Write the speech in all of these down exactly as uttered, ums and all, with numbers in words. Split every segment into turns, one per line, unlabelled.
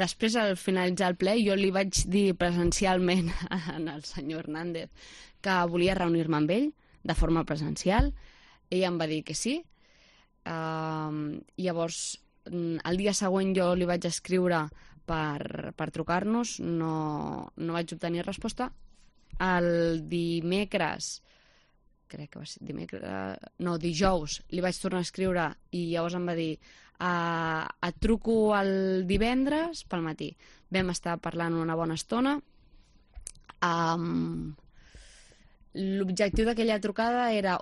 Després, al finalitzar el ple, jo li vaig dir presencialment al senyor Hernández que volia reunir-me amb ell de forma presencial. Ell em va dir que sí. Uh, llavors, el dia següent jo li vaig escriure per, per trucar-nos, no, no vaig obtenir resposta. El dimecres, crec que va ser dimecres, no, dijous, li vaig tornar a escriure i llavors em va dir uh, et truco el divendres pel matí. Vam estar parlant una bona estona. Um, l'objectiu d'aquella trucada era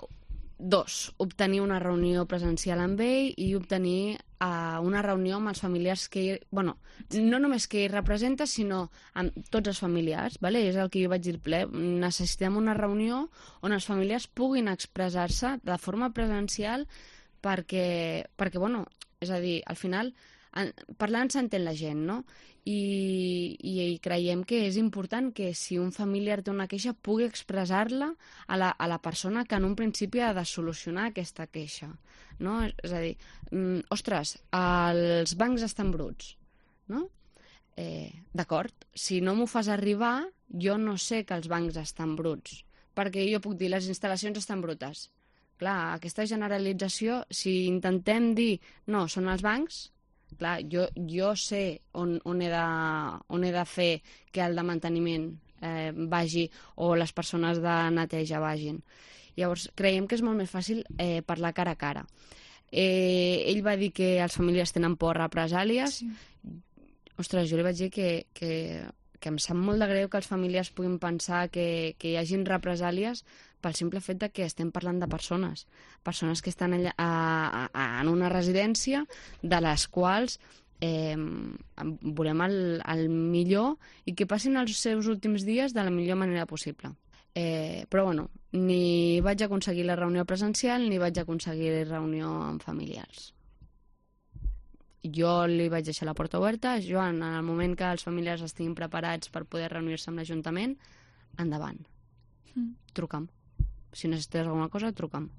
dos, obtenir una reunió presencial amb ell i obtenir uh, una reunió amb els familiars que ell, bueno, no només que ell representa, sinó amb tots els familiars, vale? És el que jo vaig dir al ple. Necessitem una reunió on els familiars puguin expressar-se de forma presencial perquè, perquè, bueno, és a dir, al final, en, parlant s'entén la gent, no? I, i, i creiem que és important que si un familiar té una queixa pugui expressar-la a la, a la persona que en un principi ha de solucionar aquesta queixa, no? És a dir, mm, ostres, els bancs estan bruts, no? Eh, d'acord, si no m'ho fas arribar, jo no sé que els bancs estan bruts, perquè jo puc dir les instal·lacions estan brutes. Clar, aquesta generalització, si intentem dir no, són els bancs, clar, jo, jo sé on, on, he de, on he de fer que el de manteniment eh, vagi o les persones de neteja vagin. Llavors, creiem que és molt més fàcil eh, parlar cara a cara. Eh, ell va dir que els familiars tenen por a represàlies. Sí. Ostres, jo li vaig dir que, que, que em sap molt de greu que els familiars puguin pensar que, que hi hagin represàlies pel simple fet de que estem parlant de persones, persones que estan allà, a, a, en una residència de les quals eh, volem el, el millor i que passin els seus últims dies de la millor manera possible. Eh, però bueno, ni vaig aconseguir la reunió presencial ni vaig aconseguir la reunió amb familiars. Jo li vaig deixar la porta oberta. Joan, en el moment que els familiars estiguin preparats per poder reunir-se amb l'Ajuntament, endavant. Mm. Truca'm. Si necessites alguna cosa, truca'm.